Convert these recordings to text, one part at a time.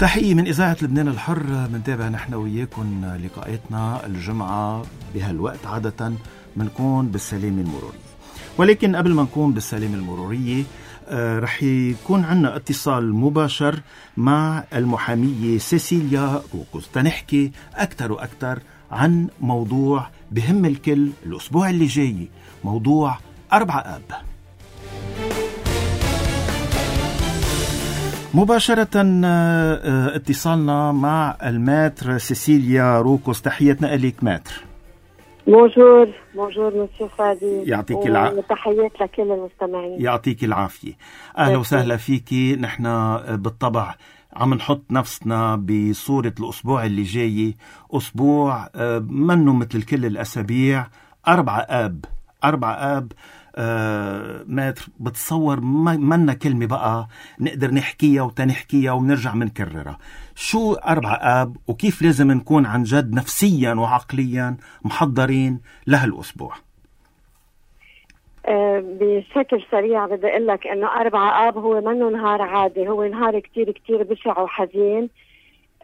تحية من إذاعة لبنان الحر. منتابع نحن وياكم لقاءاتنا الجمعة بهالوقت. عادة منكون بالسلامة المرورية، ولكن قبل ما نكون بالسلامة المرورية رح يكون عنا اتصال مباشر مع المحامية سيسيليا روكوس تنحكي أكتر وأكتر عن موضوع بهم الكل الأسبوع اللي جاي، موضوع 4 آب. مباشرة اتصالنا مع الماتر سيسيليا روكوس. تحياتنا إليك ماتر. بونجور مسيو فادي، يعطيك العافية. تحيات لكل المستمعين. يعطيك العافية. أهلا وسهلا فيكي. نحن بالطبع عم نحط نفسنا بصورة الأسبوع اللي جاي، أسبوع منه مثل كل الأسابيع. 4 آب. ماتر بتصور منا كلمة بقى نقدر نحكيها وتنحكيها ونرجع منكررها. شو 4 آب وكيف لازم نكون عن جد نفسيا وعقليا محضرين لهالأسبوع؟ بشكل سريع بدي أقول لك إنه 4 آب هو منه نهار عادي، هو نهار كتير كتير بشع وحزين.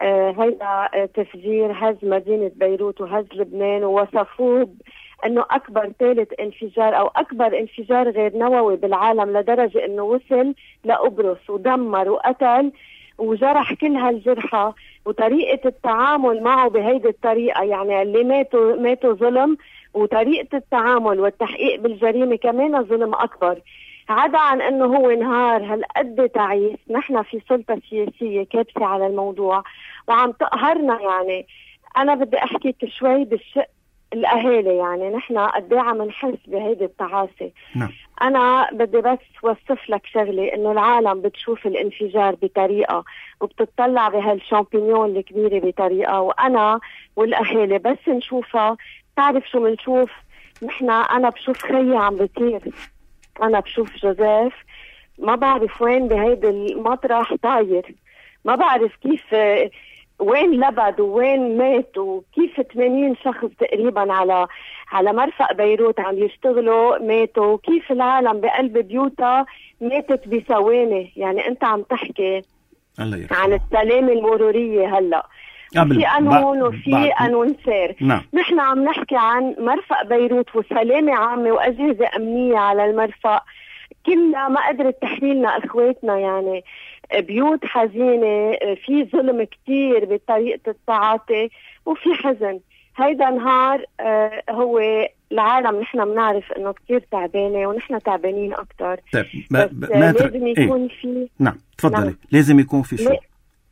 هيدا تفجير هز مدينة بيروت وهز لبنان، ووصفوه انه اكبر ثالث انفجار او اكبر انفجار غير نووي بالعالم، لدرجة انه وصل لقبرص ودمر وقتل وجرح كل هالجرحى. وطريقة التعامل معه بهيدي الطريقة، يعني اللي ماتوا ظلم، وطريقة التعامل والتحقيق بالجريمة كمان ظلم اكبر. عدا عن انه هو نهار هالقد تعيس، نحن في سلطة سياسية كابسة على الموضوع وعم تقهرنا. يعني انا بدي احكيك شوي بالشق الأهالي، يعني نحن قديه عم نحس بهيدي التعاسة. نعم. أنا بدي بس وصف لك شغلة، إنه العالم بتشوف الانفجار بطريقة وبتطلع بهالشامبينيون الكبيرة بطريقة، وأنا والأهالي بس نشوفها. تعرف شو منشوف نحن؟ أنا بشوف خيي عم بطير، أنا بشوف جوزيف ما بعرف وين بهيدي المطرح طاير، ما بعرف كيف وين لبد وين مات، وكيف 80 شخص تقريبا على مرفق بيروت عم يشتغلوا ماتوا، وكيف العالم بقلب بيوتها ماتت بثواني. يعني انت عم تحكي عن السلامة المرورية. هلا في قانون وفي قانون سير. نعم. نحن عم نحكي عن مرفق بيروت وسلامة عامة وأجهزة أمنية على المرفق، كلها ما قدرت تحميلنا اخواتنا. يعني بيوت حزينة، في ظلم كتير بطريقة التعاطي وفي حزن. هيدا نهار هو العالم نحن بنعرف انه كتير تعبانة ونحن تعبانين اكتر. طيب لازم يكون في نعم تفضلي. لازم يكون في شو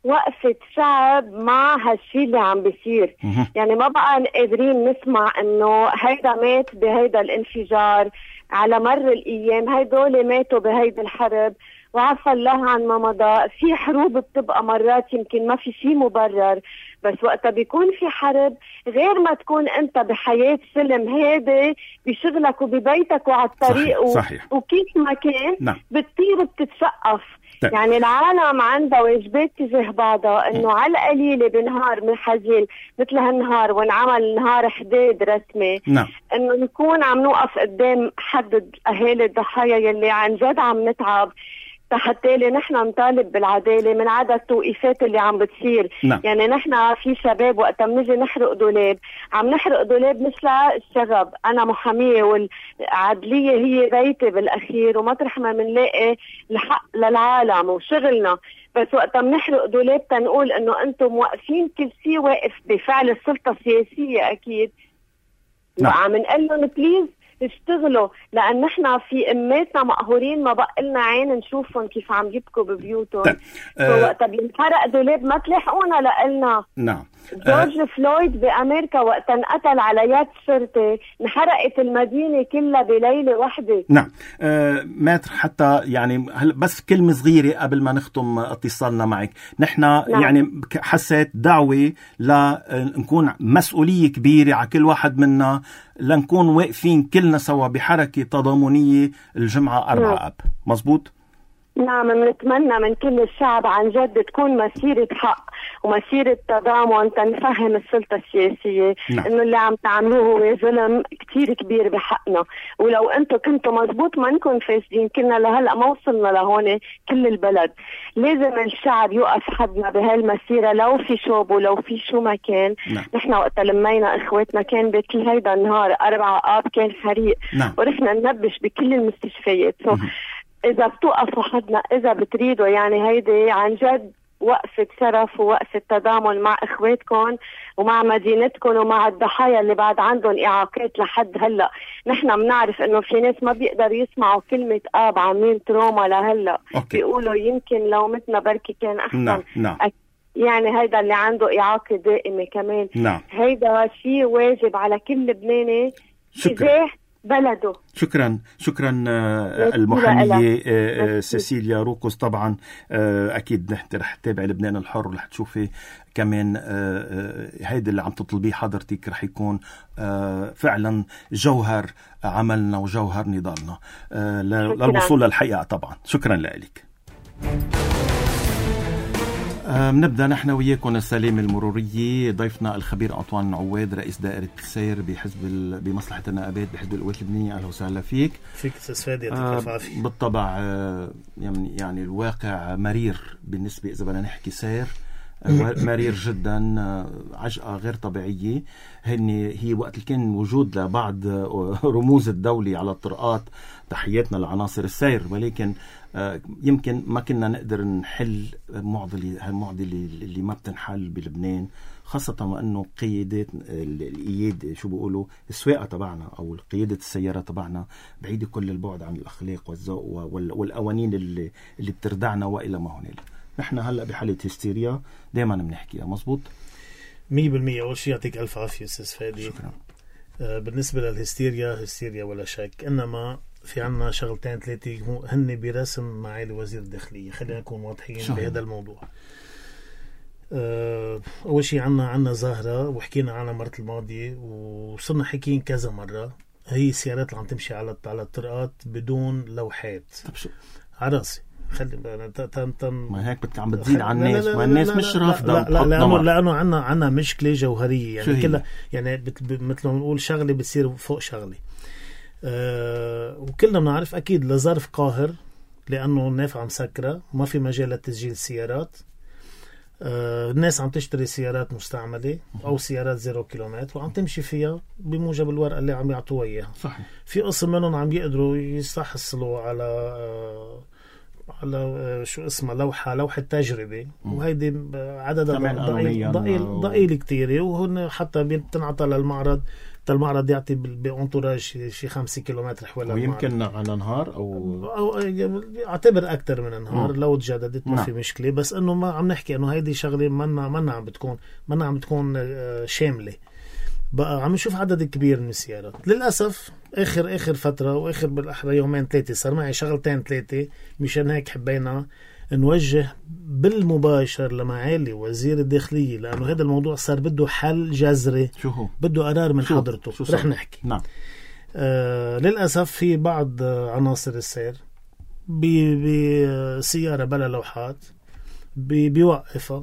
وقفة شعب مع هالشي اللي عم بيصير. يعني ما بقى قادرين نسمع انه هيدا مات بهيدا الانفجار على مر الايام، هيدول ماتوا بهيدا الحرب وعفى الله عن ما مضى. في حروب بتبقى مرات يمكن ما في شيء مبرر، بس وقتها بيكون في حرب غير ما تكون انت بحياة سلم هادي بشغلك وببيتك وعلى الطريق. صحيح. وكيف ما كان. نعم. بتطير بتتسقف. يعني العالم عندها واجبات تجاه بعضها، انه على القليلة بنهار من حزين مثل هالنهار وانعمل نهار حداد رسمي. نعم. انه نكون عم نوقف قدام حد اهالي الضحايا يلي عن جد عم نتعب، حتى نحن نطالب بالعدالة من عدد التوقيفات اللي عم بتصير. نعم. يعني نحن في شباب وقت بنجي نحرق دولاب، عم نحرق دولاب مش للشغب. أنا محامية والعدلية هي بيتي بالأخير، ومطرح ما بنلاقي الحق للعالم وشغلنا. بس وقت بنحرق دولاب تنقول إنه أنتم واقفين، كل شيء واقف بفعل السلطة السياسية أكيد. نعم. وعم نقلن بليز اشتغلوا، لأن نحن في أماتنا مقهورين ما بقى لنا عين نشوفهم كيف عم يبكوا ببيوتهم. وقت بينحرق دولاب ما تلاحقونا لقلنا. نعم. جورج فلويد بأمريكا وقت انقتل على يد شرطة انحرقت المدينة كلها بليلة واحدة. نعم. ماتر حتى يعني بس كلمة صغيرة قبل ما نختم اتصالنا معك. نحن نعم. يعني حسيت دعوة لنكون مسؤولية كبيرة على كل واحد منا، لنكون واقفين كلنا سوا بحركة تضامنية الجمعة 4 آب. مزبوط؟ نعم. بنتمنى من كل الشعب عن جد تكون مسيرة حق ومسيرة تضامن تنفهم السلطة السياسية إنه اللي عم تعملوه هو ظلم كتير كبير بحقنا، ولو أنتم كنتوا مزبوط ما نكون فاسدين كنا لهلأ ما وصلنا لهون كل البلد. لازم الشعب يوقف حدنا بهالمسيرة، لو في شوب ولو في شو ما كان. نحن وقت لمينا إخواتنا كان بكل هيدا النهار 4 آب كان حريق ورحنا ننبش بكل المستشفيات. إذا بتوقفوا حدنا، إذا بتريدوا يعني هيدي عن جد وقفة شرف ووقفة تضامن مع إخواتكم ومع مدينتكم ومع الضحايا اللي بعد عندهم إعاقات لحد هلأ. نحن بنعرف إنه في ناس ما بيقدروا يسمعوا كلمة آب عاملين تروما لهلأ، بيقولوا يمكن لو متنا بركي كان أحسن. يعني هيدا اللي عنده إعاقة دائمة كمان. هيدا شيء واجب على كل لبناني تجاه بلده. شكرا المحامية سيسيليا روكوس. طبعا أكيد نحن رح تتابع لبنان الحر ورح تشوفي كمان هيدا اللي عم تطلبيه حضرتك رح يكون فعلا جوهر عملنا وجوهر نضالنا للوصول للحقيقة. طبعا شكرا لك. نبدأ نحن وياكم السلامة المرورية. ضيفنا الخبير أنطوان عواد رئيس دائرة السير بمصلحة النقابات بحزب القوات اللبنانية. أهلا وسهلا فيك. استاذ فادي. بالطبع يعني الواقع مرير بالنسبة إذا بدنا نحكي سير مرير جدا، عجقة غير طبيعية. هي وقت اللي كان وجود لبعض رموز الدولة على الطرقات، تحياتنا لعناصر السير، ولكن يمكن ما كنا نقدر نحل هالمعضلة اللي ما بتنحل بلبنان، خاصة وأنه قيادات القيادة شو بيقولوا السواقة تبعنا أو قيادة السيارة تبعنا بعيدة كل البعد عن الأخلاق والذوق والقوانين اللي بتردعنا وإلى ما هنالك. نحن هلأ بحالة هستيريا دائما بنحكيها. مظبوط 100%. أول شيء يعطيك ألف عافية أستاذ فادي. شكرا. بالنسبة للهستيريا ولا شك، إنما في عنا شغلتين 3 هن برسم معالي وزير الداخلية. خلينا نكون واضحين بهذا الموضوع. أول شيء عنا ظاهرة وحكينا عنها مرة الماضية وصرنا حكيين كذا مرة، هي السيارات اللي عم تمشي على الطرقات بدون لوحات. طب شو عراسي خلي ما هيك عم بتزيد على الناس، ما الناس مش رافضة. لأنه عنا مشكلة جوهرية يعني كلها، يعني مثل ما بنقول شغلة بتصير فوق شغلة. وكلنا بنعرف أكيد لظرف قاهر، لأنه النافعة مسكرة ما في مجال لتسجيل السيارات. الناس عم تشتري سيارات مستعملة أو سيارات 0 كيلومتر وعم تمشي فيها بموجب الورقة اللي عم يعطوها إياها. صحيح. في قسم منهم عم يقدروا يستحصلوا على شو اسمها لوحة تجربة، وهيدي عددها ضئيل كتير، وهن حتى بتنعطى للمعرض. المعرض يعطي بأنطوراج شي 5 كيلومتر حول المعرض، ويمكن على نهار أو اعتبر أكتر من نهار لو تجددت ما في مشكلة. بس إنه ما عم نحكي إنه هيدي شغلة منا عم بتكون شاملة. بقى عم نشوف عدد كبير من السيارات للأسف. آخر فترة وآخر بالأحرى 2-3 صار معي شغلتين 3، مشان هيك حبينا نوجه بالمباشر لمعالي وزير الداخلية، لأنه هذا الموضوع صار بده حل جذري، بده قرار من حضرته. رح نحكي. نعم. للأسف في بعض عناصر السير بسيارة بلا لوحات بيوقفها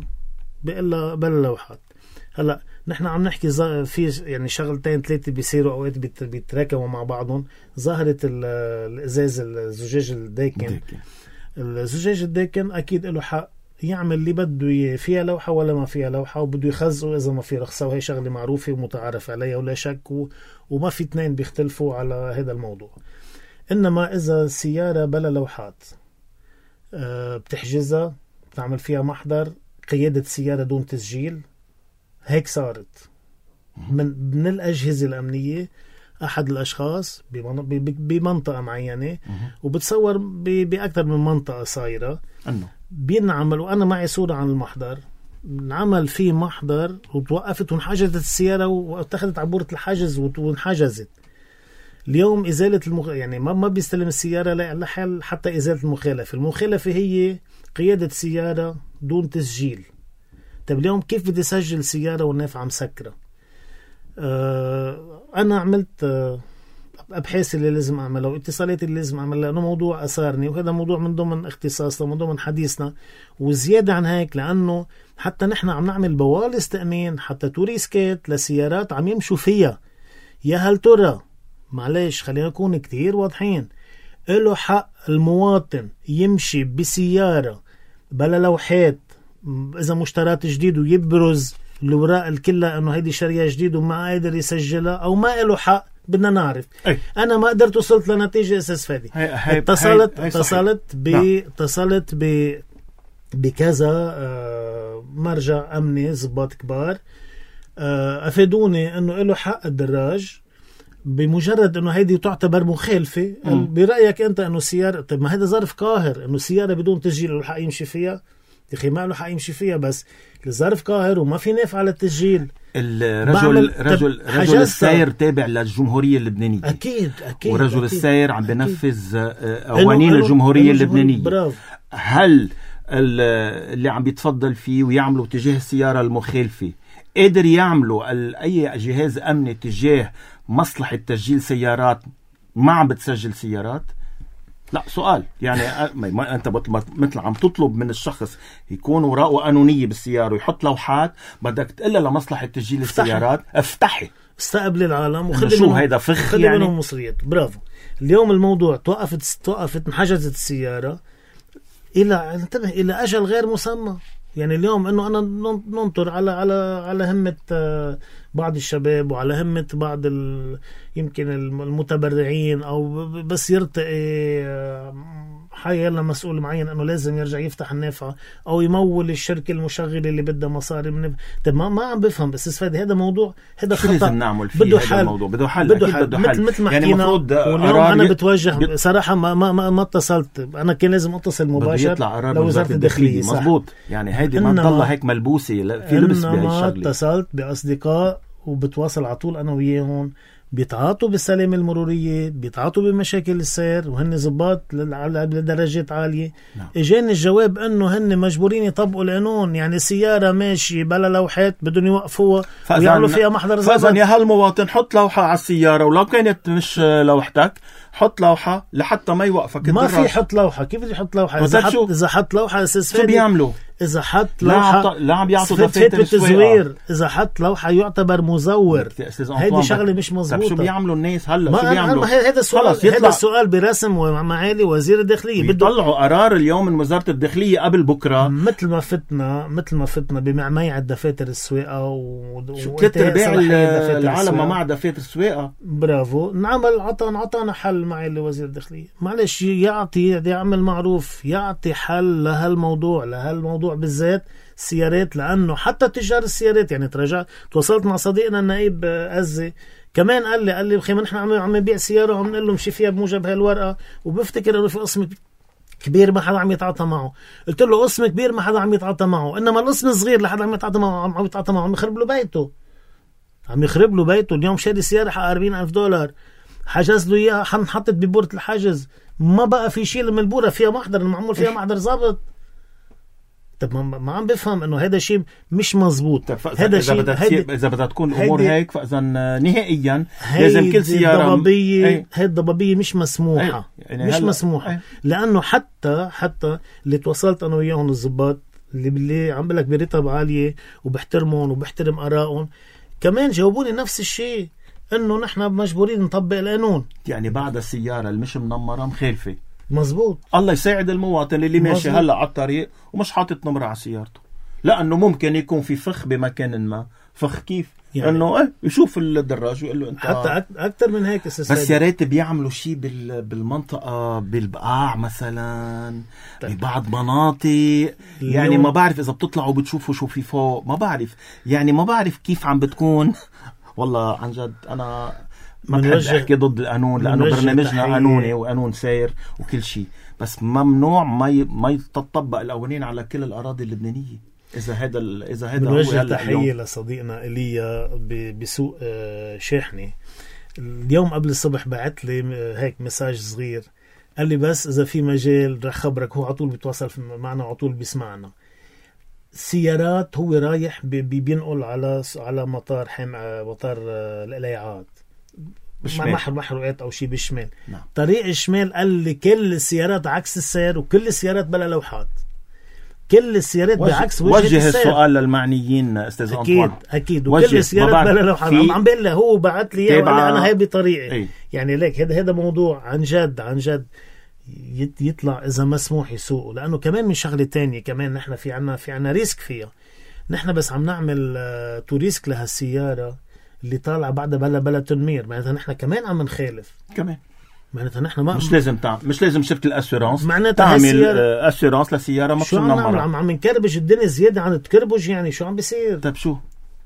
بلا لوحات. هلأ نحن عم نحكي في يعني شغلتين 3 بيصيروا أوقات بيتراكموا مع بعضهم. ظاهرة الإزاز الزجاج الداكن. الزجاج الداكن أكيد له حق يعمل اللي بده إياه، فيها لوحة ولا ما فيها لوحة، وبده يخزقه إذا ما في رخصة، وهي شغلة معروفة ومتعارف عليها ولا شك، وما في 2 بيختلفوا على هذا الموضوع. إنما إذا سيارة بلا لوحات بتحجزها، بتعمل فيها محضر قيادة سيارة دون تسجيل، هيك صارت من الأجهزة الأمنية. أحد الأشخاص بمنطقة معينة، وبتصور بأكثر من منطقة صايرة بينعمل، وأنا معي صورة عن المحضر، نعمل فيه محضر وتوقفت وانحجزت السيارة واتخذت عبورة الحجز وانحجزت. اليوم إزالة يعني ما بيستلم السيارة لحل حتى إزالة المخالفة هي قيادة سيارة دون تسجيل. طب اليوم كيف بدي أسجل سيارة والنافعة مسكرة؟ أنا عملت أبحاث اللي لازم أعملها واتصالات اللي لازم أعملها، لأنه موضوع أثارني وهذا موضوع من ضمن اختصاصنا من ضمن حديثنا. وزيادة عن هيك لأنه حتى نحن عم نعمل بوالص تأمين حتى توريسكات لسيارات عم يمشوا فيها. يا هل ترى، معلش خلينا نكون كتير واضحين، له حق المواطن يمشي بسيارة بلا لوحات إذا مشترات جديد ويبرز الوراق الكلها انه هيدي شريعة جديد وما قادر يسجلها، او ما له حق؟ بدنا نعرف. انا ما قدرت وصلت لنتيجة اساس فادي. اتصلت بكذا مرجع امني ضباط كبار افادوني انه له حق الدراج بمجرد انه هيدي تعتبر مخالفة. برأيك انت انه سيارة، طيب ما هذا ظرف قاهر انه سيارة بدون تسجيل له حق يمشي فيها؟ يا اخي ما له حق يمشي فيها، بس الظرف قاهر وما في نافع على التسجيل. رجل السير تابع للجمهورية اللبنانية. أكيد ورجل السير عم بنفذ قوانين الجمهورية اللبنانية. برافو. هل اللي عم بيتفضل فيه ويعملوا تجاه السيارة المخالفة قادر يعملوا أي جهاز أمني تجاه مصلحة تسجيل سيارات ما عم بتسجل سيارات؟ لا سؤال يعني ما انت مثل عم تطلب من الشخص يكون وراءه قانونية بالسيارة ويحط لوحات، بدك تقول لمصلحة تسجيل السيارات افتحي استقبل العالم وخلي شو هيدا فخ يعني منهم مصريات. برافو. اليوم الموضوع توقفت انحجزت السيارة انتبه الى اجل غير مسمى. يعني اليوم انه انا ننطر على همة بعض الشباب وعلى همة بعض يمكن المتبرعين، او بس يرتقي حيلا مسؤول معين انه لازم يرجع يفتح النافعة او يمول الشركة المشغلة اللي بدها مصاري من. طيب ما عم بفهم بس فادي هذا موضوع، هذا خطأ لازم نعمل فيه. بده حل. الموضوع بده حل مثل ما حكينا. واليوم انا بتوجه صراحة ما اتصلت، انا كان لازم اتصل مباشر لوزارة الداخلية. مظبوط. يعني هيدي ما تضل هيك ملبوسة في لبس بهالشغلة. اتصلت بأصدقاء وبتواصل على طول انا وياهم، بيتعاطوا بالسلامة المرورية، بيتعاطوا بمشاكل السير وهن ضباط لدرجات عالية. اجاني الجواب انه هن مجبورين يطبقوا القانون، يعني سيارة ماشي بلا لوحات بدهم يوقفوها ويعملوا فيها محضر ضبط. فإذن يا هالمواطن حط لوحة على السيارة، ولو كانت مش لوحتك حط لوحة لحتى ما يوقفك ما في حط لوحة. كيف بدي يحط لوحة؟ إذا حط لوحة أساس شو بيعملوا؟ إذا حط لوحة لا عم يعطوا دفاتر التزوير. إذا حط لوحة يعتبر مزور. هيدي شغلة مش مزبوطة. شو بيعملوا الناس هلا؟ شو بيعملوا؟ هذا السؤال برسم ومعالي وزير الداخلية. بيطلعوا قرار اليوم من وزارة الداخلية قبل بكرة. مثل ما فتنا بمعميع الدفاتر السواقة و3/4 العالم ما مع دفاتر السواقة. برافو. نعمل عطانا حل معالي وزير الداخلية. معلش يعمل معروف، يعطي حل لهالموضوع بالذات السيارات، لأنه حتى تجار السيارات يعني تواصلت مع صديقنا النائب أزي كمان قال لي بخي ما نحن عم نبيع سيارة وعم نقول له مشي فيها بموجب هالورقة، وبفتكر انه في قسم كبير ما حدا عم يتعاطى معه. قلت له قسم كبير ما حدا عم يتعاطى معه، انما القسم الصغير لحدا عم يتعاطى معه عم يخرب له بيته. اليوم شاري سيارة حق $40,000 حجز له اياها، حطت ببورة الحجز، ما بقى في شيء من البورة فيها محضر، معمول فيها محضر ضابط. طب ما عم بفهم انه هذا شيء مش مزبوط. هذا شيء اذا بدها تكون الامور هيك، فاذا نهائيا لازم كل سياره هي الضبابيه مش مسموحه. يعني مش مسموحه. لانه حتى اللي تواصلت انا وياهم الضباط اللي عم بقول لك برتب عاليه وبحترمهم وبحترم ارائهم، كمان جاوبوني نفس الشيء، انه نحن مجبورين نطبق القانون. يعني بعد السياره اللي مش منمره مخالفه. مزبوط. الله يساعد المواطن اللي ماشي هلا على الطريق ومش حاطط نمرة على سيارته، لأنه ممكن يكون في فخ بمكان ما. فخ كيف؟ يعني انه يشوف الدراج ويقول له انت حتى اكثر من هيك. بس يا ريت بيعملوا شيء بالمنطقه، بالبقاع مثلا، ببعض مناطق. يعني ما بعرف اذا بتطلعوا بتشوفوا شو في فوق، ما بعرف كيف عم بتكون. والله عن جد انا ما بحب احكي ضد القانون، لانه برنامجنا قانوني وقانون سير وكل شيء، بس ممنوع ما يتطبق القوانين على كل الاراضي اللبنانيه. اذا هذا هو هلا. تحيه لصديقنا ايليا بسوق شاحنه اليوم قبل الصبح بعت لي هيك مساج صغير، قال لي بس اذا في مجال رح خبرك. هو على طول بيتواصل معنا على طول بيسمعنا. سيارات هو رايح بينقل على مطار القلايعات، محروقات أو شيء بالشمال. نعم. طريق الشمال قال لي كل السيارات عكس السير وكل السيارات بلا لوحات، كل السيارات بعكس وجه السير. السؤال للمعنيين أستاذ أنطوان. أكيد وكل السيارات بلا لوحات. عم بقول له هو بعت لي وقال لي أنا هاي بطريقي. يعني ليك هذا موضوع عن جد يطلع إذا مسموح يسوقه، لأنه كمان من شغلة تانية كمان نحن في عنا ريسك فيها. نحن بس عم نعمل توريسك لهالسيارة اللي طالعة بعدها بلا تنمير، معناتها نحن كمان عم نخالف كمان. معناتها نحن مش لازم شركة الأسيرانس تعمل أسيرانس لسيارة ما شو عم نكربج الدنيا زيادة عن تكربج. يعني شو عم بيصير؟ طيب شو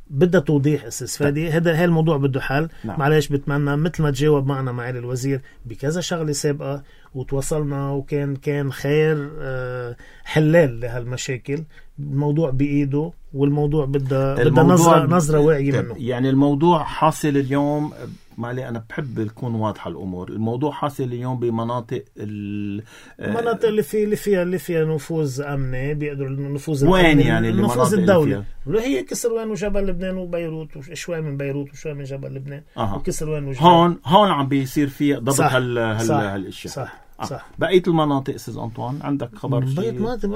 بدها توضيح أساس فادي. هذا الموضوع بده حل. نعم. معلش بتمنى مثل ما تجاوب معنا معالي الوزير بكذا شغلة سابقة وتوصلنا وكان خير حلال لهالمشاكل. الموضوع بإيده والموضوع بدها نظرة واعية منه. يعني الموضوع حاصل اليوم معلي أنا بحب يكون واضحة الأمور. الموضوع حاصل اليوم بمناطق المناطق اللي فيها نفوذ أمني بيقدروا النفوذ وين يعني النفوذ الدولة اللي هي كسروان وجبل لبنان وبيروت وشوي من بيروت وشوي من جبل لبنان وكسروان وجبل. هون عم بيصير في ضبط هالاشياء. صح. بقية المناطق أستاذ أنطوان عندك خبر؟ بقية مناطق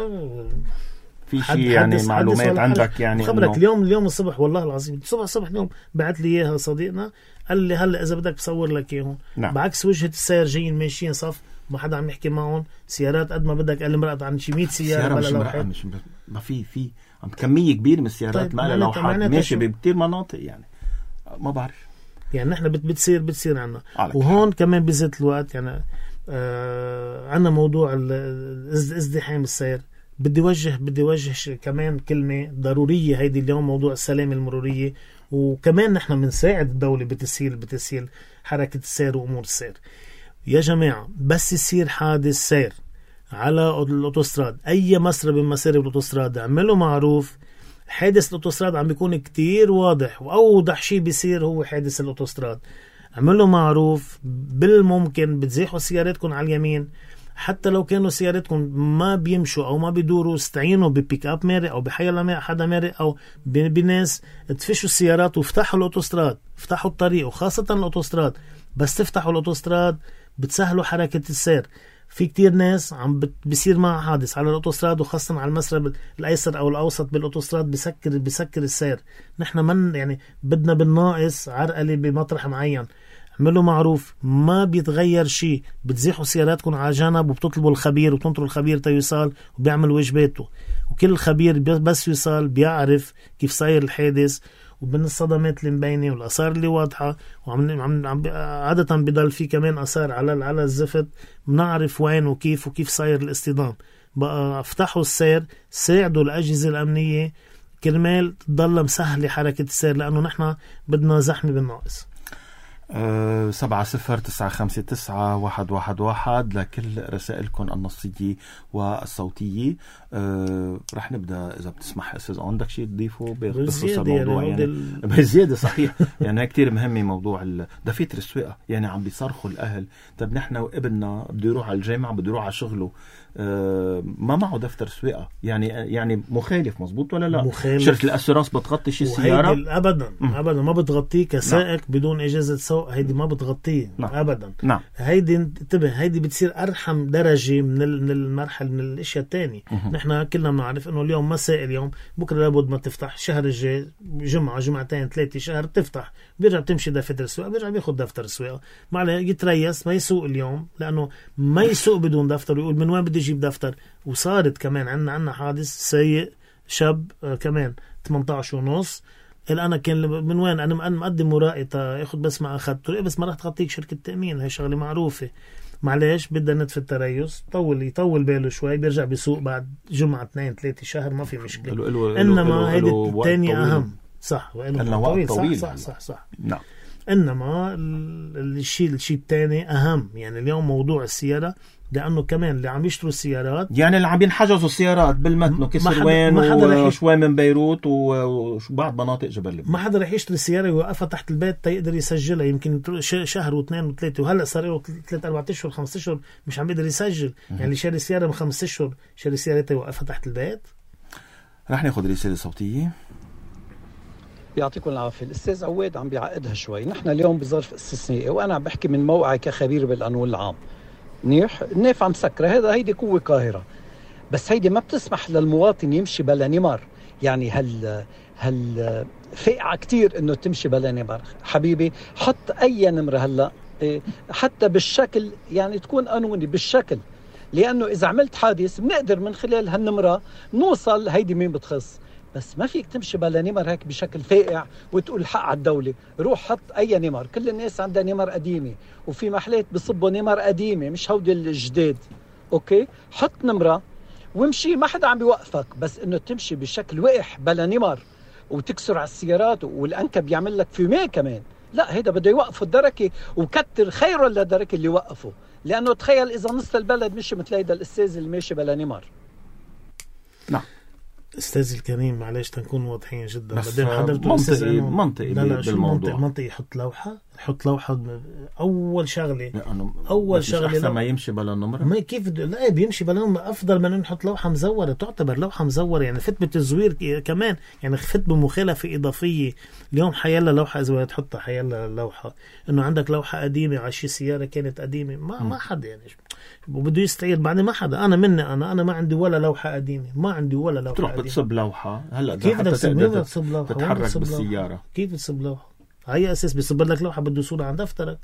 في شيء يعني معلومات عندك يعني خبرك اليوم الصبح والله العظيم الصبح اليوم بعت لي اياها صديقنا قال لي هلا اذا بدك بصور لك اياهم. نعم. بعكس وجهة السير جايين ماشيين صف ما حدا عم يحكي معهم سيارات قد ما بدك. قال لي مرقت عن شي 100 سيارة بلا لوحات. ما في عم كمية كبيرة من السيارات. طيب ما لها لوحات ماشي بكتير مناطق يعني ما بعرف يعني نحن بتصير عنا. وهون كمان بزيت الوقت يعني عنا موضوع ازدحام السير. بدي وجه كمان كلمة ضرورية هيدي اليوم موضوع السلامة المرورية. وكمان نحن منساعد الدولة بتسهيل حركة السير وأمور السير. يا جماعة بس يصير حادث سير على الأوتوستراد أي مسار من مسار الأوتوستراد اعملوا معروف. حادث الأوتوستراد عم بيكون كتير واضح وأوضح شيء بيصير هو حادث الأوتوستراد. اعملوا معروف بالممكن بتزيحوا سيارتكم على اليمين. حتى لو كانوا سيارتكم ما بيمشوا أو ما بيدوروا استعينوا ببيك أب مارق أو بحيلا حدا مارق أو بناس تفشوا السيارات وافتحوا الأوتوستراد. افتحوا الطريق وخاصة الأوتوستراد. بس تفتحوا الأوتوستراد بتسهلوا حركة السير. في كتير ناس عم بيصير معها حادث على الأوتوستراد وخاصة على المسار الأيسر أو الأوسط بالأوتوستراد بيسكر السير. نحن من يعني بدنا بالناقص عرقلة بمطرح معين. اعملوا معروف ما بيتغير شيء. بتزيحوا سياراتكم على جنب وبتطلبوا الخبير وتنطروا الخبير تيوصل وبيعمل واجباته. وكل الخبير بس يوصل بيعرف كيف صاير الحادث وبين الصدمات اللي مبينة والآثار اللي واضحة. عادة بيضل في كمان آثار على الزفت بنعرف وين وكيف صاير الاصطدام. بقى افتحوا السير ساعدوا الأجهزة الأمنية كرمال تضل مسهلة حركة السير لأنه نحن بدنا زحمة بالناقص. 70959111 لكل رسائلكم النصية والصوتية. رح نبدأ إذا بتسمح أستاذ عندك شيء تضيفه بخصوص الموضوع يعني بزيادة صحيح يعني كتير مهمة موضوع دفاتر السواقة. يعني عم بيصرخوا الأهل طب نحن وابننا بده يروح على الجامعة بده يروح على شغله ما معه دفتر سواقة يعني مخالف مظبوط ولا لا؟ مخالف. شركة الأسيرانس بتغطي شي السيارة؟ أبدا ما بتغطيه كسائق بدون إجازة سوق. هيدي ما بتغطيه أبدا. هيدي انتبه هيدي بتصير أرحم درجة من المرحلة من الأشياء التانية. نحن كلنا بنعرف إنه اليوم مساء اليوم بكرة لابد ما تفتح شهر الجاي جمعة جمعتين 3 شهر تفتح بيرجع بتمشي دفتر السواقة بيرجع بياخد دفتر السواقة معله يتريس ما يسوق اليوم لأنه ما يسوق بدون دفتر ويقول من وين بدي أجيب دفتر. وصارت كمان عنا حادث سيء شاب كمان 18.5 أنا كان من وين أنا مقدم ورائي ياخد بس ما أخذته بس ما راح تغطيك شركة تأمين. هاي شغلة معروفة. معلش بدنا ندفع التريس يطول باله شوي بيرجع بيسوق بعد جمعة 2-3 شهر ما في مشكلة. إنما هيدي الثانية أهم صح طويل صح. نعم. إنما الشيء الثاني أهم. يعني اليوم موضوع السيارة لأنه كمان اللي عم يشتروا السيارات يعني اللي عم ينحجزوا السيارات بالمتن وكسروان وشوي من بيروت وبعض مناطق جبل لبنان. ما حدا رح يشتري السيارة ويوقفها تحت البيت تيقدر يسجلها. يمكن شهر و2 و3 وهلأ صار له 3-4 أشهر 5 أشهر مش عم يقدر يسجل. يعني اللي شاري سيارة من 5 أشهر شاري سيارة يوقفها تحت البيت. رح ناخد رسالة صوتية. يعطيكم العافية. الأستاذ عواد عم بيعقدها شوي. نحن اليوم بظرف استثنائي وأنا عم بحكي من موقعي كخبير بالقانون العام. منيح، النافعة مسكرة، هيدي قوة قاهرة، بس هيدي ما بتسمح للمواطن يمشي بلا نمر. يعني هل فائعة كتير إنه تمشي بلا نمر. حبيبي حط أي نمرة هلأ حتى بالشكل، يعني تكون قانوني بالشكل، لأنه إذا عملت حادث بنقدر من خلال هالنمرة نوصل هيدي مين بتخص. بس ما فيك تمشي بلا نمر هيك بشكل فائع وتقول حق على الدولة. روح حط أي نمر. كل الناس عندها نمر قديمة، وفي محلات بصبوا نمر قديمة مش هودي الجداد. أوكي، حط نمرة وامشي، ما حدا عم بيوقفك. بس إنه تمشي بشكل وقح بلا نمر وتكسر على السيارات والأنكب يعمل لك فيميه كمان، لا، هيدا بده يوقفوا الدركة، وكتر خيره للدركة اللي وقفوا. لأنه تخيل إذا نص البلد مشي مثل هيدا الأستاذ اللي ماشي بلا نمر. نعم أستاذ الكريم، معلش تنكون واضحين جدا. بس منطقي بالموضوع. منطقي يحط لوحة أول شغلة. أول شغلة أحسن ما يمشي بلا نمرة. ما كيف لا بيمشي بلا نمرة أفضل من نحط لوحة مزورة. تعتبر لوحة مزورة يعني فت بالتزوير كمان، يعني فت بمخالفة إضافية. اليوم حيلا لوحة إذا تحطها حيلا لوحة إنه عندك لوحة قديمة على شي سيارة كانت قديمة، ما حدا يعني وبده يستعيد بعد. ما حدا، أنا ما عندي ولا لوحة قديمة، ما عندي ولا لوحة تروح قديمة. بتصب لوحة هلا كيف حتى تقدر تتحرك بالسيارة. كيف تصب لوحة؟ على أساس بيصب لك لوحة بده صورة عن دفترك،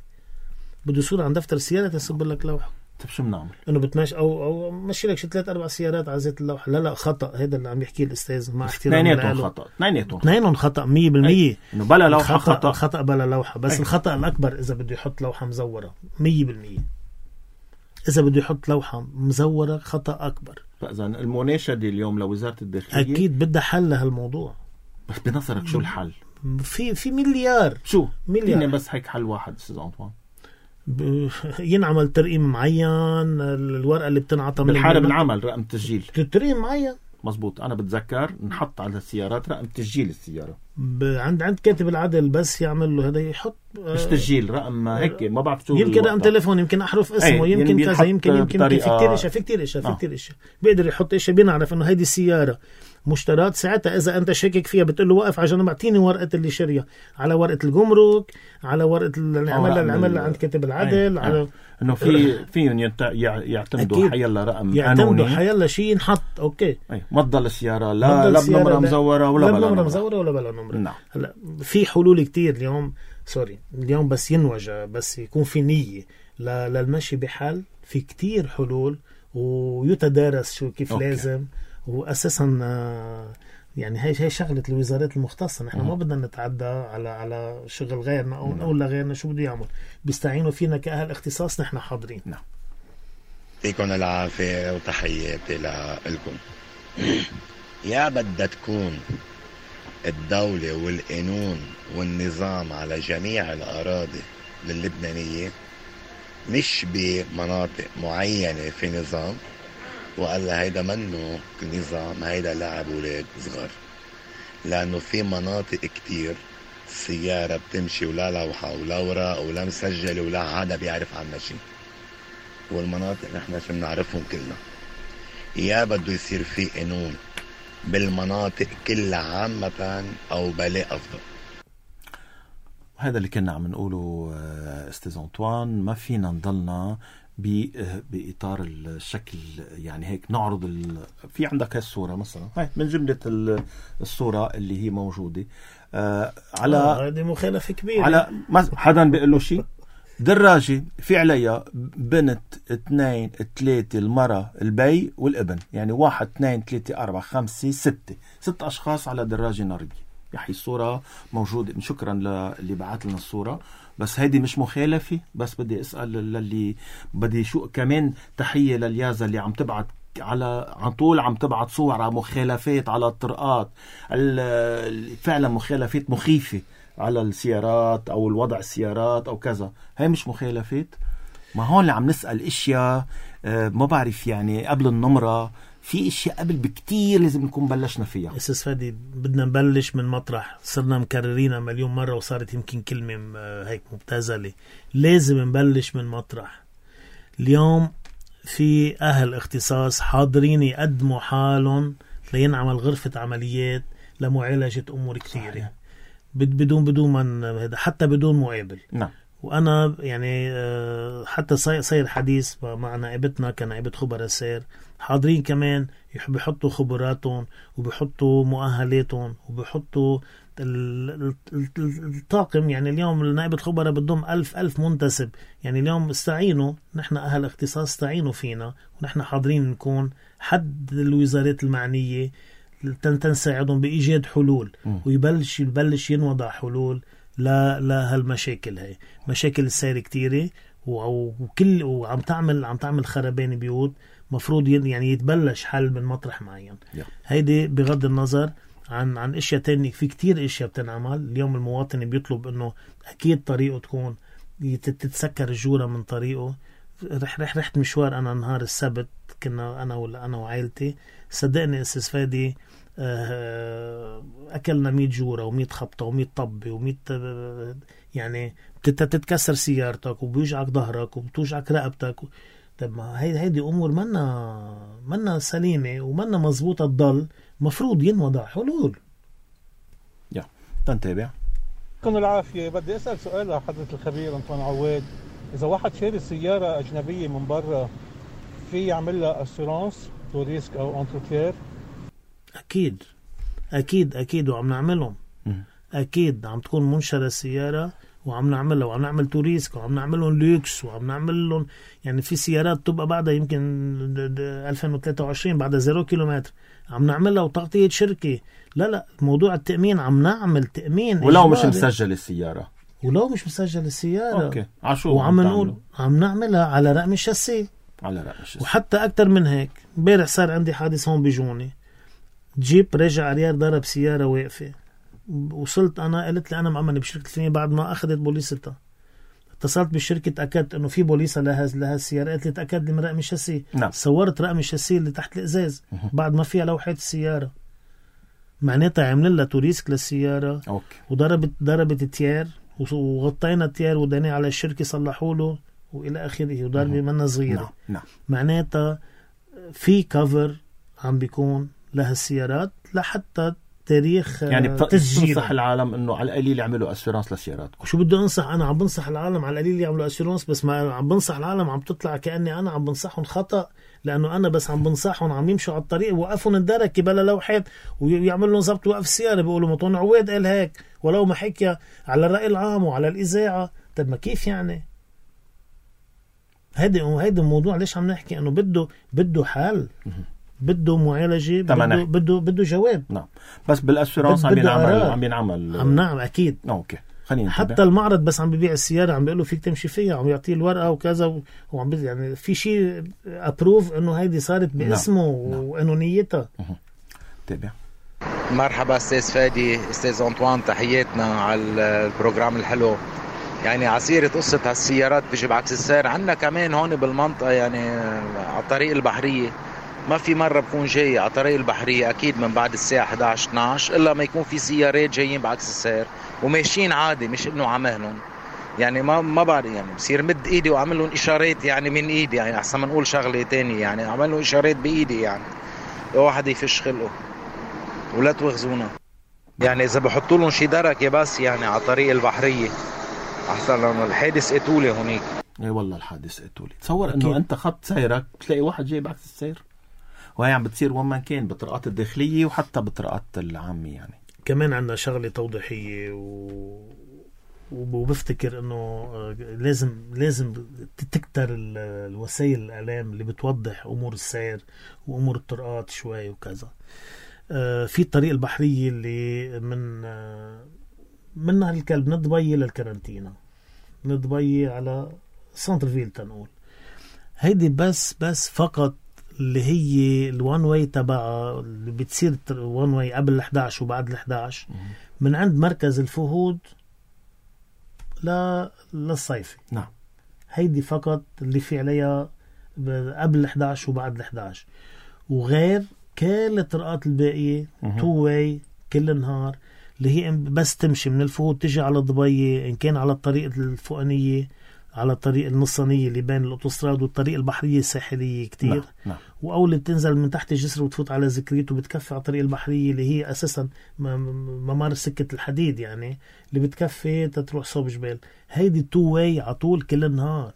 بده صورة عن دفتر السيارة تصب لك لوحة. طيب شو بنعمل؟ إنه بتمشي أو مشي لك 3-4 سيارات على زيت اللوحة. لا هذا اللي عم يحكيه الأستاذ. مع احترامي اثنينهم خطأ 100%. إنه بلا لوحة خطأ بلا لوحة. بس الخطأ الأكبر إذا بده يحط لوحة مزورة 100%. إذا بده يحط لوحة مزورة خطأ أكبر. فإذا المناشدة اليوم لوزارة الداخلية أكيد بدها حل لهالموضوع. بس بنظرك شو الحل؟ في مليار. شو؟ مليار. بس هيك حل واحد أستاذ أنطوان. ينعمل ترقيم معين. الورقة اللي بتنعطى من بالحالة بنعمل رقم تسجيل ترقيم معين. مزبوط. أنا بتذكر نحط على السيارات رقم تسجيل السيارة عند كاتب العدل، بس يعمل له هذا يحط مش تسجيل رقم هيك ما بعرف شو، يمكن رقم تليفون، يمكن أحرف اسمه، يمكن كذا، يمكن في كتير اشياء بيقدر يحط اشياء. بنعرف انه هيدي السيارة مشترات. ساعتها اذا انت شاكك فيها بتقول له وقف على جنب، اعطيني ورقة اللي شريها، على ورقة الجمرك، على ورقة العمل عند كاتب العدل. على انه فيهم يعتمدوا حيلا رقم قانوني، حيلا شيء ينحط. اوكي، ما تضل السيارة لا بنمرة مزورة ولا بلا نمرة. نعم. هلا في حلول كتير اليوم بس ينوجه، بس يكون في نية للمشي بحل. في كتير حلول ويتدارس شو كيف أوكي. لازم. وأساسا يعني هي شغلة الوزارات المختصة. نحن ما بدنا نتعدى على شغل غيرنا أو نقول لغيرنا شو بده يعمل. بيستعينوا فينا كأهل اختصاص، نحن حاضرين. نعم. فيكم العافية وتحياتي لكم. يا بدها تكون الدولة والقانون والنظام على جميع الأراضي اللبنانية، مش بمناطق معينة في نظام، وقال هيدا منه نظام، هيدا لعب ولاد صغار. لأنه في مناطق كتير السيارة بتمشي ولا لوحة ولا ورق ولا مسجل ولا حدا بيعرف عنها شيء، والمناطق نحن شو بنعرفهم كلنا. يا بده يصير في قانون بالمناطق كلها عامة أو بلاء أفضل. هذا اللي كنا عم نقوله أستاذ أنطوان. ما فينا نضلنا بإطار الشكل يعني هيك نعرض في عندك هالصورة مثلا، هاي من جملة الصورة اللي هي موجودة على هذه مخالفة كبيرة. على حدا بيقول له شيء، دراجة في عليها بنت 2 3 المرأة البي والابن، يعني 1 2 3 4 5 6 أشخاص على دراجة نارية. يحيي الصورة موجودة. شكرا للي بعت لنا الصورة. بس هيدي مش مخالفة. بس بدي أسأل للي بدي شو كمان تحية لليازة اللي عم تبعت عن طول عم تبعت صور على مخالفات على الطرقات، فعلا مخالفات مخيفة على السيارات أو الوضع السيارات أو كذا. هاي مش مخالفات. ما هون اللي عم نسأل إشياء ما بعرف يعني قبل النمرة. في اشياء قبل بكتير لازم نكون بلشنا فيها. أستاذ فادي، بدنا نبلش من مطرح صرنا مكررينها مليون مرة وصارت يمكن كلمة هيك مبتذلة. لازم نبلش من مطرح. اليوم في أهل اختصاص حاضرين يقدموا حالهم لينعمل غرفة عمليات لمعالجة أمور كثيرة. بدون من هذا، حتى بدون مقابل. نعم. وأنا يعني حتى صاير حديث مع نائبتنا كنائبة خبراء سير حاضرين كمان، بيحطوا خبراتهم وبيحطوا مؤهلاتهم وبيحطوا الطاقم. يعني اليوم نائبة خبراء بدهم 1000 منتسب. يعني اليوم استعينوا، نحن أهل اختصاص استعينوا فينا، ونحن حاضرين نكون حد الوزارات المعنية تنساعدهم بإيجاد حلول، ويبلش ينوضع حلول لهالمشاكل. هاي مشاكل السير كتيرة، وعم تعمل خربان بيوت. مفروض يعني يتبلش حل من مطرح معين. هيدي بغض النظر عن اشياء تانية. في كتير اشياء بتنعمل اليوم. المواطن بيطلب انه اكيد طريقه تكون تتسكر الجورة من طريقه. رحت مشوار انا نهار السبت، كنا انا وعائلتي. صدقني استاذ فادي، اكلنا 100 جورة و100 خبطة و100 طبة و100 يعني تتكسر سيارتك وبيوجعك ظهرك وبتوجعك رقبتك. طب ما هيدي امور منا سليمة ومنا مزبوطة. تضل مفروض ينوضع حلول. تنتابع. كن العافية. بدي أسأل سؤال لحضرة الخبير أنطوان عواد. إذا واحد شاري سيارة أجنبية من برا، في يعمل لها أسيرانس تو ريسك أو أنتروتير؟ أكيد وعم نعملهم. أكيد عم تكون منشرة السيارة وعم نعملها، وعم نعمل توريسك، وعم نعملهم لوكس، وعم نعملهم يعني في سيارات تبقى بعدها يمكن 2023 بعدها 0 كيلومتر عم نعملها وتغطية شركة. لا موضوع التأمين عم نعمل تأمين ولو مش مسجل السيارة. أوكي. وعم نقول عم نعملها على رقم الشاسيه. وحتى أكتر من هيك. امبارح صار عندي حادث هون بجوني، جيب رجع عريار ضرب سيارة واقفة. وصلت أنا قلت لي أنا مأمن بشركة الفنية بعد ما أخذت بوليستها. اتصلت بالشركة تأكدت إنه في بوليسة لها السيارة. قلت لي تأكد لي من رقم الشاسيه. صورت رقم الشاسيه اللي تحت الإزاز بعد ما فيها لوحة السيارة. معناتها عمل لها توريسك للسيارة. وضربت التيار، وغطينا التيار وداني على الشركة صلحوا له وإلى آخره. وضربة منا صغيرة. معناتها في كفر عم بيكون لها السيارات لحتى تاريخ يعني تنصح العالم انه على القليل يعملوا اسيرانس لسياراتكم. وشو بدي انصح؟ انا عم بنصح العالم على القليل يعملوا اسيرانس، بس ما عم بنصح العالم عم تطلع كأني انا عم بنصحهم خطأ، لانه انا بس عم بنصحهم عم يمشوا على الطريق وقفوا الدركه بلا لوحات ويعمل لهم ضبط وقف السياره. بيقولوا مطون عواد قال هيك ولو ما حكي على الرأي العام وعلى الإذاعة. طب ما كيف يعني؟ هيدا الموضوع ليش عم نحكي انه بده حل، بده معالجة، بده جواب. نعم. بس بالاسيرانس عم نعم اكيد. اوكي خلينا حتى المعرض بس عم ببيع السيارة عم بيقول له فيك تمشي فيها، عم يعطيه الورقة وكذا، وعم يعني في شيء ابروف انه هيدي صارت باسمه. وانه نيتها. تابع. مرحبا استاذ فادي، استاذ أنطوان، تحياتنا على البروجرام الحلو. يعني عسيرة قصة هالسيارات بيجي بعكس السير عنا كمان هون بالمنطقة، يعني على الطريق البحرية ما في مرة بكون جاي على الطريق البحرية أكيد من بعد الساعة 11-12 إلا ما يكون في سيارات جايين بعكس السير وماشيين عادي، مش إنه عمهلن. يعني ما بعرف، يعني بصير مد إيدي وعمل لهم إشارات يعني من إيدي، يعني أحسن ما نقول شغلة تانية، يعني عمل لهم إشارات بإيدي. يعني واحد يفش خلقه ولا توغزونا. يعني إذا بحطوا لهم شي دركة بس يعني على الطريق البحرية أحسن، لأنه الحادث قتولي هونيك. اي والله الحادث قتولي. تصور انه انت خط سيرك تلاقي واحد جاي بعكس السير، وهي عم بتصير وين ما كان بطرقات الداخلية وحتى بطرقات العامة. يعني كمان عندنا شغلة توضيحية وبفتكر انه لازم تكتر الوسائل الإعلام اللي بتوضح امور السير وامور الطرقات شوي وكذا. في الطريق البحرية اللي من نهر الكلب من دبي للكارنتينا، من دبي على سنتر فيل تنقول. هيدي بس فقط اللي هي الوان واي تبعها اللي بتصير وان واي قبل ال11 وبعد ال11 من عند مركز الفهود للصيفي. نعم. هيدي فقط اللي في عليها قبل ال11 وبعد ال11، وغير كل الطرقات الباقية تو واي كل النهار، اللي هي بس تمشي من الفهود تجي على دبي إن كان على الطريق الفوقانية على الطريق النصانية اللي بين الأوتوستراد والطريق البحرية الساحلية كتير. نعم. وأول اللي بتنزل من تحت الجسر وتفوت على زكريت وبتكفي على الطريق البحرية اللي هي أساسا ممر سكة الحديد يعني اللي بتكفي تتروح صوب جبال. هيدي 2 واي عطول كل النهار.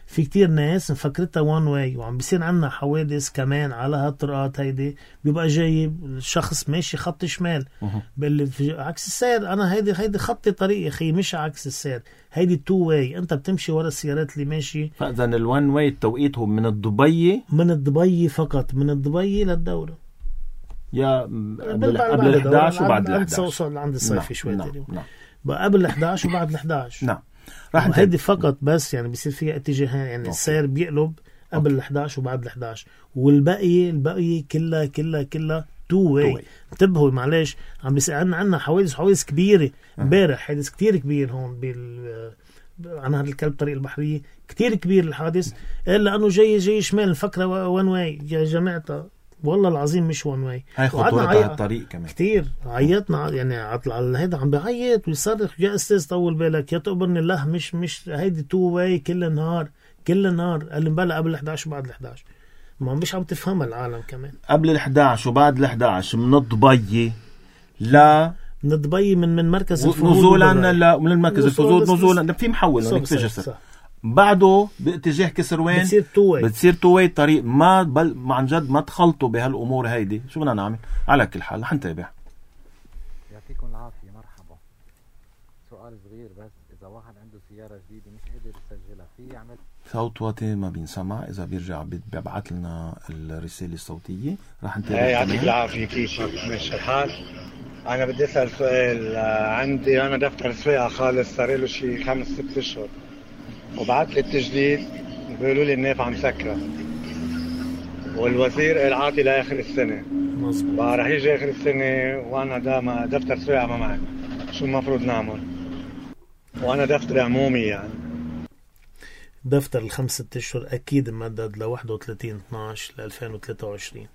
في كتير ناس مفكرتها 1 واي وعم بيصير عنا حوادث كمان على هالطرقات. هيدي بيبقى جاي الشخص ماشي خط شمال باللي في عكس السير. أنا هيدي خط طريق أخي مش عكس السير. هيدي 2 واي أنت بتمشي ورا السيارات اللي ماشي. فإذا ال1 واي التوقيت هو من الضبي فقط من الضبي للدورة يا قبل 11 وبعد 11 عند الصيفي شوي. نعم. بقى قبل 11 وبعد 11. نعم. هيدي فقط بس يعني بيصير فيها اتجاهين يعني السير بيقلب قبل 11 وبعد 11 والباقي كلها 2 واي. انتبهوا معلش عم بيصير عنا حوادث كبيرة امبارح. حادث كتير كبير هون عن هذا الكلب طريق البحرية كتير كبير الحادث إلا أنه جاي شمال فكرة 1 واي يا جماعة. والله العظيم مش 1 واي. هاي خطورة الطريق كمان كتير. عيطنا يعني على هيدا عم بيعيط ويصرخ يا أستاذ طول بالك يا تقبرني الله مش هيدي 2 واي كل النهار قال لي بلا قبل 11 وبعد 11. ما مش عم تفهمها العالم كمان. قبل 11 وبعد 11 من الضبي لا من الضبي من مركز الفهود نزولا من المركز الفهود نزولا في محول هناك في جسر بعده باتجاه كسروين بتصير 2 واي طريق. ما عن جد ما تخلطوا بهالامور هيدي. شو بدنا نعمل؟ على كل حال رح نتابع. يعطيكم العافيه. مرحبا. سؤال صغير بس، اذا واحد عنده سياره جديده مش قادر يسجلها في يعمل صوت واطي ما بينسمع؟ اذا بيرجع بيبعث لنا الرساله الصوتيه رح نتابع. يعطيك العافيه. كيف ماشي الحال؟ انا بدي اسال سؤال. عندي انا دفتر سواقه خالص صار له شي 5-6 اشهر وبعت لي التجديد بيقولوا لي النافعه مسكره والوزير العاطي لاخر السنه. مظبوط. رح يجي اخر السنه وانا دفتر سواقه ما معي. شو المفروض نعمل؟ وانا دفتر عمومي يعني. دفتر ال5-6 اشهر اكيد ممدد ل 31/12/2023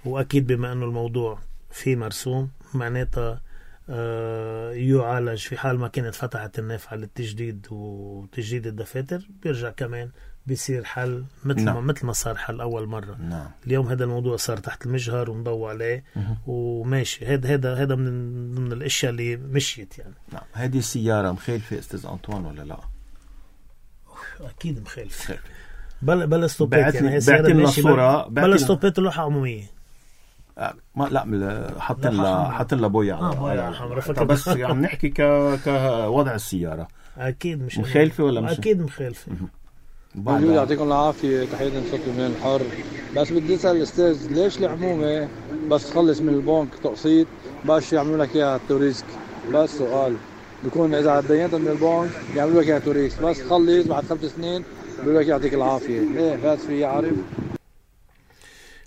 واكيد بما انه الموضوع في مرسوم معناتها يعالج في حال ما كانت فتحت النافعة للتجديد وتجديد الدفاتر بيرجع كمان بيصير حل مثل ما صار حل أول مرة. نعم. اليوم هذا الموضوع صار تحت المجهر ومضوى عليه وماشي. هذا من الأشياء اللي مشيت يعني. نعم. هذه السيارة مخالفة أستاذ أنطوان ولا لا؟ أكيد مخالفة. بلا ستوبات يعني. بعتي لنا الصورة. بلا ستوبات لوحة عمومية. لا حاطين لها بويا على حمراء. بس عم نحكي كوضع السيارة. أكيد مش مخالفة ولا مش؟ أكيد مخالفة. يعطيكم العافية. تحية صوت من الحر. بس بدي أسأل الأستاذ ليش العمومة بس تخلص من البنك تقسيط باش يعملوا لك إياها توريسك؟ بس سؤال بيكون إذا دينت من البنك يعملوا لك إياها توريسك بس تخلص بعد 5 سنين بيقول لك يعطيك العافية. ليه فات في عارف؟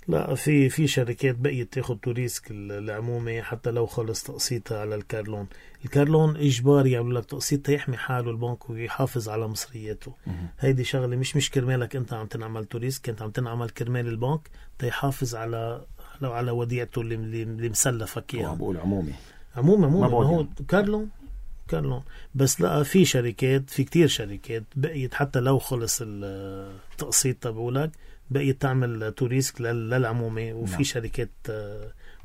لا في شركات بقيت تاخد توريسك العمومي حتى لو خلص تقسيطها على الكارلون. الكارلون إجباري يعمل لك تقسيط يحمي حاله البنك ويحافظ على مصرياته. هيدي شغلة مش كرمالك أنت عم تنعمل توريسك. أنت عم تنعمل كرمال البنك تيحافظ على وديعته اللي مسلفك إياها. بقول عمومي ما هو كارلون. بس لا في كتير شركات بقيت حتى لو خلص التقسيط تبعولك بقيت تعمل توريسك للعمومي. وفي نعم. شركات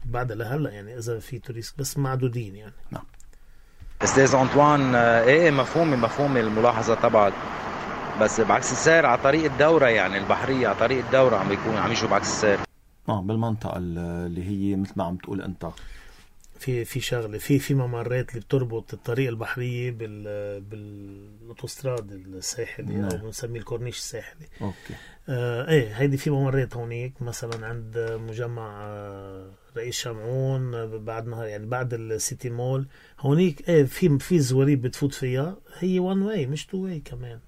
بعد لهلا يعني إذا في توريسك بس معدودين يعني. نعم. أستاذ أنطوان مفهومي الملاحظة تبعك. بس بعكس السير على طريق الدورة يعني البحرية على طريق الدورة عم يشوا بعكس السير بالمنطقة اللي هي مثل ما عم تقول أنت في شغله في ممرات اللي بتربط الطريق البحريه بالاوتوستراد الساحلي او بنسميه الكورنيش الساحلي. اوكي. هيدي في ممرات هونيك مثلا عند مجمع رئيس شمعون بعد نهار يعني بعد السيتي مول هونيك في زواريب بتفوت فيها هي 1 واي مش 2 واي كمان.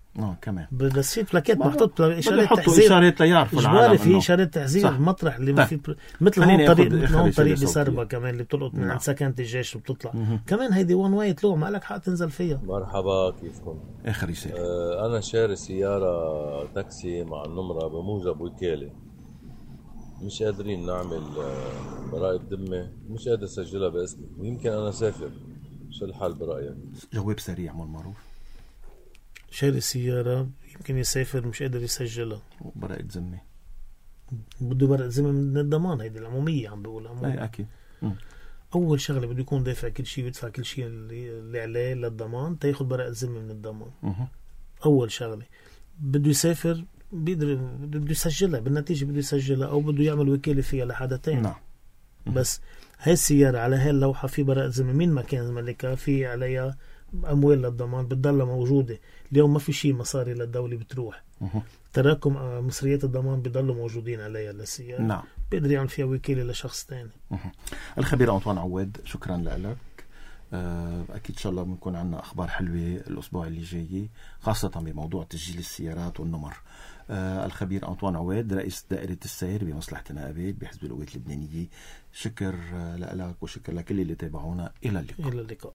كمان بس في بلاكات محطوط اشارات تحذير اشارات ليعرفوا العالم في اشارات تحذير مطرح اللي في مثل هون طريق بسربة كمان اللي بتلقط من سكنة الجيش وبتطلع كمان هيدي 1 واي طلوع ما لك حق تنزل فيها. مرحبا كيفكم؟ اخر رسالة. انا شاري سيارة تاكسي مع النمرة بموجب وكالة مش قادرين نعمل براءة ذمة مش قادر اسجلها باسمي ويمكن انا سافر. شو الحل برأيك؟ جواب سريع مو المعروف. شاري سيارة يمكن يسافر مش قادر يسجلها، براءة ذمة، بده براءة ذمة من الضمان. هيدي العمومية عم بقول أي أكيد. أول شغلة بده يكون دافع كل شيء ويدفع كل شيء اللي عليه للضمان تاخد براءة ذمة من الضمان. أول شغلة بده يسافر بده يسجلها، بالنتيجة بده يسجلها أو بده يعمل وكالة فيها لحدا تاني. نعم. بس هاي السيارة على هاي اللوحة في براءة ذمة، مين ما كان ملكها في عليها أموال للضمان بتضلها موجودة. اليوم ما في شيء مصاري للدولة بتروح، تراكم مصريات الضمان بيضلوا موجودين عليها للسيارة. نعم. بيقدر يعمل فيها وكالة لشخص تاني. الخبير أنطوان عواد، شكرا لك. أكيد إن شاء الله بنكون عنا أخبار حلوة الأسبوع اللي جاي، خاصة بموضوع تسجيل السيارات والنمر. الخبير أنطوان عواد، رئيس دائرة السير بمصلحة النقابات بحزب القوات اللبنانية، شكر لك وشكر لكل اللي تابعونا. إلى اللقاء.